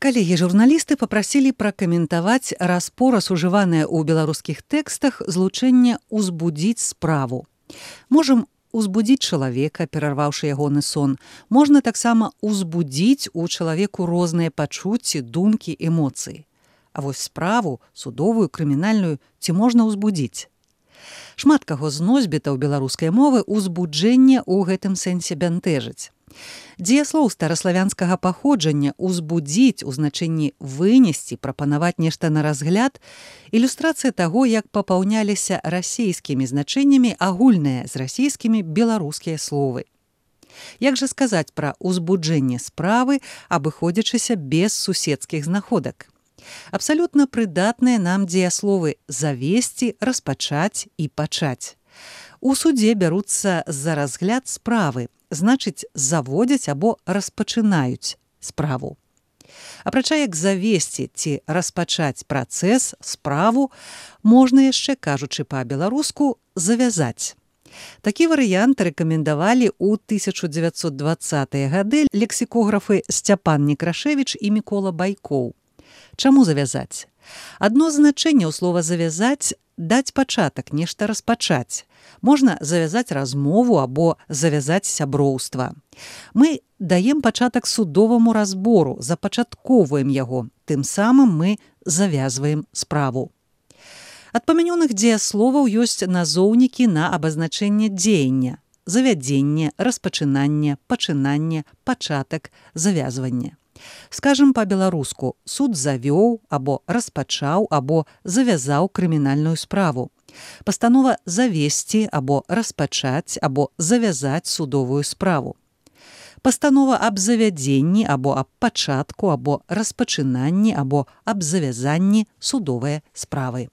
Калегі-журналісты папрасілі пракаментаваць раз-пораз ужыванае ў беларускіх тэкстах злучэнне «узбудзіць справу». Можам узбудзіць чалавека, перарваўшы ягоны сон. Можна таксама узбудзіць у чалавеку розныя пачуцці, думкі, эмоцыі. А вось справу, судовую, крымінальную, ці можна ўзбудзіць? Шмат каго з носьбітаў беларускай мовы узбуджэнне ў гэтым сэнсе бянтэжыць. Дзеяслоў стараславянскага паходжання «узбудзіць» у значэнні «вынесці», прапанаваць нешта на разгляд – ілюстрацыя таго, як папаўняліся расейскімі значэннямі агульныя з расійскімі беларускія словы. Як жа сказаць пра ўзбуджэнне справы, абыходзячыся без суседскіх знаходак? Абсалютна прыдатныя нам дзеясловы «завесці», «распачаць» і «пачаць». У судзе бяруцца за разгляд справы, значыць, заводзяць або распачынаюць справу. Апрача як завесці ці распачаць працэс, справу, можна яшчэ, кажучы па-беларуску, завязаць. Такі варыянт рэкамендавалі ў 1920-е гады лексікографы Сцяпан Некрашевіч і Мікола Байкоў. Чаму завязаць? Адно з значэнняў слова «завязаць» – даць пачатак, нешта распачаць. Можна завязаць размову або завязаць сяброўства. Мы даем пачатак судоваму разбору, запачатковваем яго, тым самым мы завязваем справу. Ад памянёных дзеясловаў ёсць назоўнікі на абазначэнне дзеяння: завядзенне, распачынанне, пачынанне, пачатак, завязванне. Скажам па-беларуску, суд завёў або распачаў або завязаў крымінальную справу. Пастанова завесці або распачаць або завязаць судовую справу. Пастанова аб завядзенні або аб пачатку або распачынанні або аб завязанні судовай справы.